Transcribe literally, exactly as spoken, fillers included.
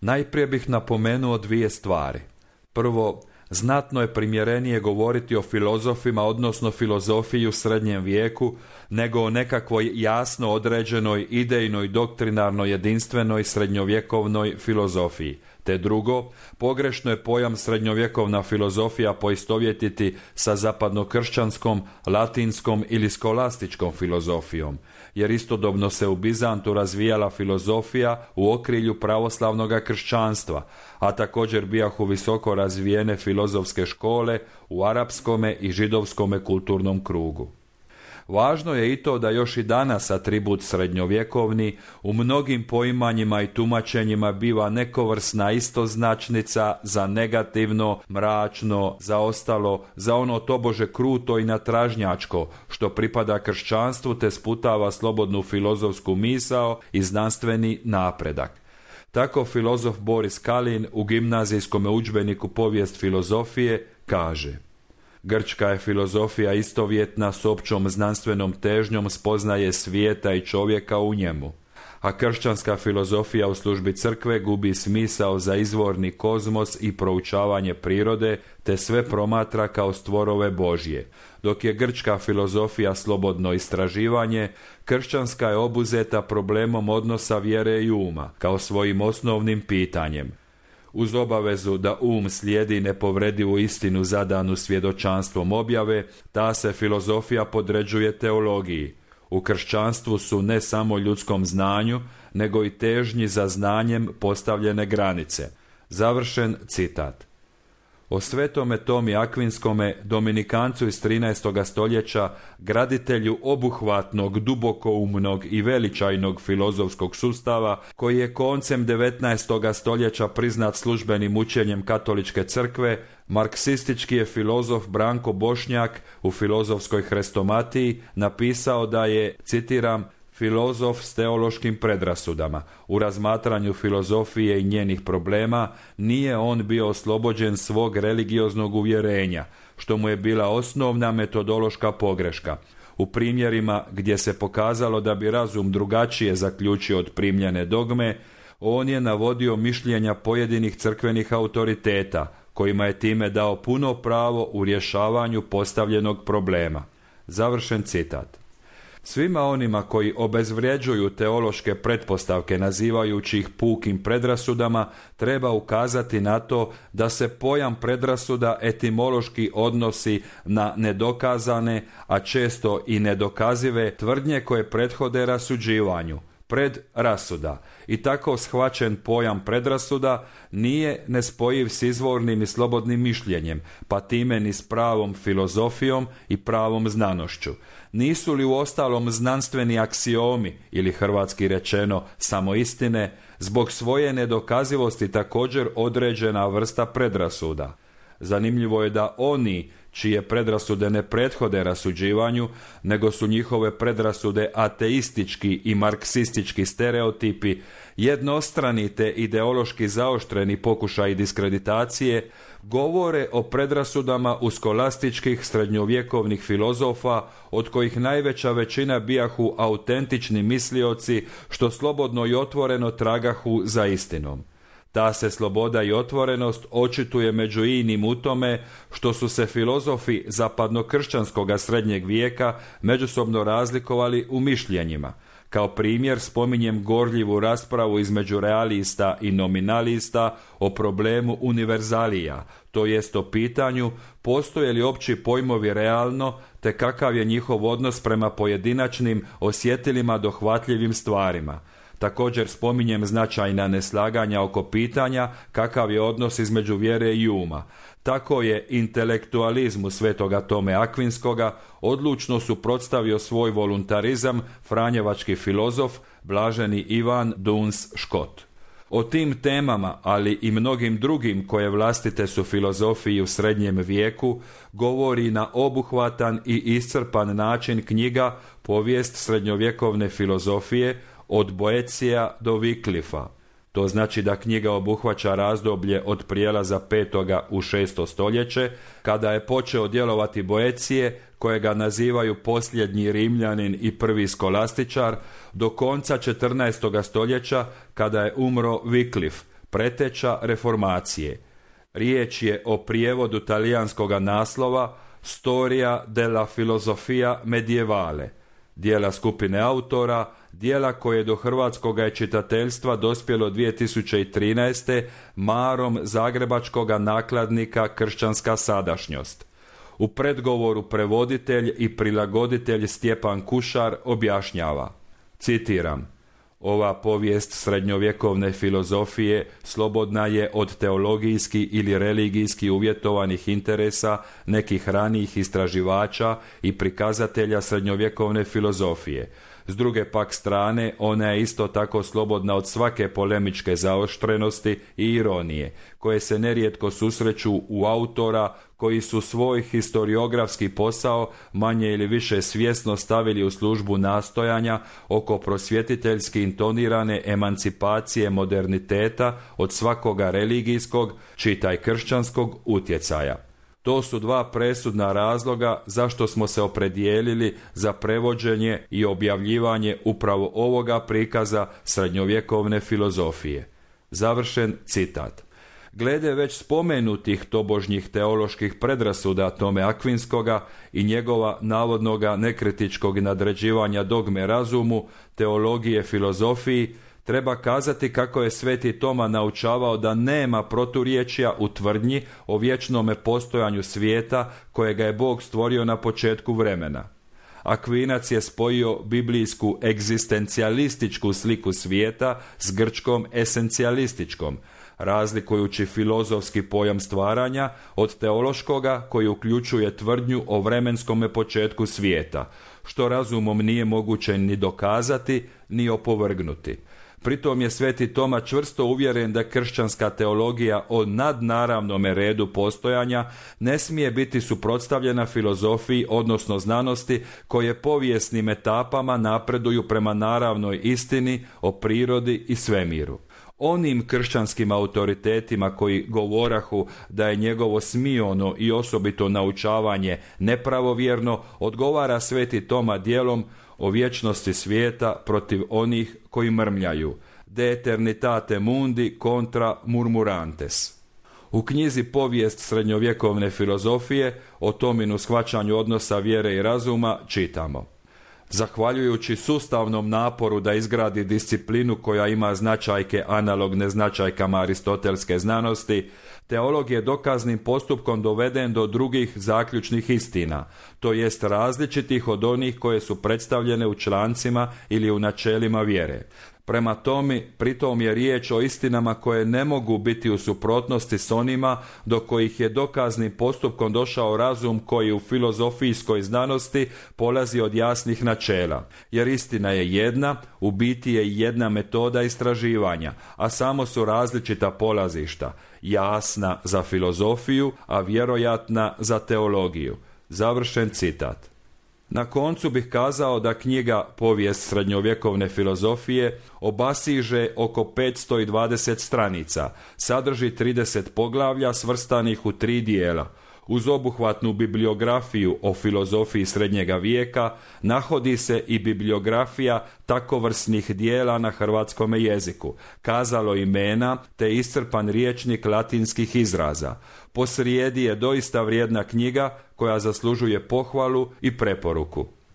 Najprije bih napomenuo dvije stvari. Prvo, znatno je primjerenije govoriti o filozofima, odnosno filozofiji u srednjem vijeku, nego o nekakvoj jasno određenoj idejnoj, doktrinarno jedinstvenoj srednjovjekovnoj filozofiji. Te drugo, pogrešno je pojam srednjovjekovna filozofija poistovjetiti sa zapadnokršćanskom, latinskom ili skolastičkom filozofijom, jer istodobno se u Bizantu razvijala filozofija u okrilju pravoslavnog kršćanstva, a također bijahu visoko razvijene filozofske škole u arapskome i židovskome kulturnom krugu. Važno je i to da još i danas atribut srednjovjekovni u mnogim poimanjima i tumačenjima biva nekovrsna istoznačnica za negativno, mračno, za ostalo, za ono tobože kruto i natražnjačko, što pripada kršćanstvu te sputava slobodnu filozofsku misao i znanstveni napredak. Tako filozof Boris Kalin u gimnazijskom udžbeniku Povijest filozofije kaže: Grčka je filozofija istovjetna s općom znanstvenom težnjom spoznaje svijeta i čovjeka u njemu, a kršćanska filozofija u službi crkve gubi smisao za izvorni kozmos i proučavanje prirode, te sve promatra kao stvorove Božje. Dok je grčka filozofija slobodno istraživanje, kršćanska je obuzeta problemom odnosa vjere i uma, kao svojim osnovnim pitanjem. Uz obavezu da um slijedi nepovredivu istinu zadanu svjedočanstvom objave, ta se filozofija podređuje teologiji. U kršćanstvu su ne samo ljudskom znanju, nego i težnji za znanjem postavljene granice. Završen citat. O svetome Tomi Akvinskome, dominikancu iz trinaestoga stoljeća, graditelju obuhvatnog, dubokoumnog i veličajnog filozofskog sustava, koji je koncem devetnaestoga stoljeća priznat službenim učenjem katoličke crkve, marksistički je filozof Branko Bošnjak u Filozofskoj hrestomatiji napisao da je, citiram, filozof s teološkim predrasudama. U razmatranju filozofije i njenih problema nije on bio oslobođen svog religioznog uvjerenja, što mu je bila osnovna metodološka pogreška. U primjerima gdje se pokazalo da bi razum drugačije zaključio od primljene dogme, on je navodio mišljenja pojedinih crkvenih autoriteta, kojima je time dao puno pravo u rješavanju postavljenog problema. Završen citat. Svima onima koji obezvrjeđuju teološke pretpostavke nazivajući ih pukim predrasudama, treba ukazati na to da se pojam predrasuda etimološki odnosi na nedokazane, a često i nedokazive tvrdnje koje prethode rasuđivanju, predrasuda. I tako shvaćen pojam predrasuda nije nespojiv s izvornim i slobodnim mišljenjem, pa time ni s pravom filozofijom i pravom znanošću. Nisu li uostalom znanstveni aksiomi, ili hrvatski rečeno samo istine, zbog svoje nedokazivosti također određena vrsta predrasuda? Zanimljivo je da oni čije predrasude ne prethode rasuđivanju, nego su njihove predrasude ateistički i marksistički stereotipi, jednostrani te ideološki zaoštreni pokušaji diskreditacije, govore o predrasudama u skolastičkih srednjovjekovnih filozofa, od kojih najveća većina bijahu autentični mislioci, što slobodno i otvoreno tragahu za istinom. Ta se sloboda i otvorenost očituje među inim u tome što su se filozofi zapadnokršćanskoga srednjeg vijeka međusobno razlikovali u mišljenjima. Kao primjer spominjem gorljivu raspravu između realista i nominalista o problemu univerzalija, to jest o pitanju postoje li opći pojmovi realno, te kakav je njihov odnos prema pojedinačnim, osjetilima dohvatljivim stvarima. Također spominjem značajna neslaganja oko pitanja kakav je odnos između vjere i uma. Tako je intelektualizmu svetoga Tome Akvinskoga odlučno suprotstavio svoj voluntarizam franjevački filozof blaženi Ivan Duns Škot. O tim temama, ali i mnogim drugim koje vlastite su filozofiji u srednjem vijeku, govori na obuhvatan i iscrpan način knjiga Povijest srednjovjekovne filozofije od Boecija do Wycliffa. To znači da knjiga obuhvaća razdoblje od prijelaza petoga u šesto stoljeće, kada je počeo djelovati Boecije, kojega nazivaju posljednji Rimljanin i prvi skolastičar, do konca četrnaestoga stoljeća, kada je umro Wyclif, preteča reformacije. Riječ je o prijevodu talijanskog naslova Storia della filosofia medievale, dijela skupine autora, dijela koje do hrvatskog je čitateljstva dospjelo dvije tisuće trinaeste marom zagrebačkog nakladnika Kršćanska sadašnjost. U predgovoru prevoditelj i prilagoditelj Stjepan Kušar objašnjava, citiram: ova povijest srednjovjekovne filozofije slobodna je od teologijski ili religijski uvjetovanih interesa nekih ranijih istraživača i prikazatelja srednjovjekovne filozofije. S druge pak strane, ona je isto tako slobodna od svake polemičke zaoštrenosti i ironije, koje se nerijetko susreću u autora koji su svoj historiografski posao manje ili više svjesno stavili u službu nastojanja oko prosvjetiteljski intonirane emancipacije moderniteta od svakoga religijskog, čitaj kršćanskog, utjecaja. To su dva presudna razloga zašto smo se opredijelili za prevođenje i objavljivanje upravo ovoga prikaza srednjovjekovne filozofije. Završen citat. Glede već spomenutih tobožnjih teoloških predrasuda Tome Akvinskoga i njegova navodnoga nekritičkog nadređivanja dogme razumu, teologije filozofiji, treba kazati kako je sveti Toma naučavao da nema proturječja u tvrdnji o vječnome postojanju svijeta kojega je Bog stvorio na početku vremena. Akvinac je spojio biblijsku egzistencijalističku sliku svijeta s grčkom esencijalističkom, razlikujući filozofski pojam stvaranja od teološkoga koji uključuje tvrdnju o vremenskome početku svijeta, što razumom nije moguće ni dokazati, ni opovrgnuti. Pritom je sveti Toma čvrsto uvjeren da kršćanska teologija o nadnaravnome redu postojanja ne smije biti suprotstavljena filozofiji, odnosno znanosti, koje povijesnim etapama napreduju prema naravnoj istini o prirodi i svemiru. Onim kršćanskim autoritetima koji govorahu da je njegovo smiono i osobito naučavanje nepravovjerno, odgovara sveti Toma djelom o vječnosti svijeta protiv onih koji mrmljaju, de eternitate mundi contra murmurantes. U knjizi Povijest srednjovjekovne filozofije o Tominu shvaćanju odnosa vjere i razuma čitamo: zahvaljujući sustavnom naporu da izgradi disciplinu koja ima značajke analogne značajkama aristotelske znanosti, teolog je dokaznim postupkom doveden do drugih zaključnih istina, to jest različitih od onih koje su predstavljene u člancima ili u načelima vjere. Prema tome, pritom je riječ o istinama koje ne mogu biti u suprotnosti s onima do kojih je dokaznim postupkom došao razum koji u filozofijskoj znanosti polazi od jasnih načela. Jer istina je jedna, u biti je jedna metoda istraživanja, a samo su različita polazišta, jasna za filozofiju, a vjerojatna za teologiju. Završen citat. Na koncu bih kazao da knjiga Povijest srednjovjekovne filozofije obasiže oko petsto dvadeset stranica, sadrži trideset poglavlja svrstanih u tri dijela. Uz obuhvatnu bibliografiju o filozofiji srednjega vijeka nahodi se i bibliografija takovrsnih dijela na hrvatskom jeziku, kazalo imena te iscrpan rječnik latinskih izraza. Posrijedi je doista vrijedna knjiga koja zaslužuje pohvalu i preporuku.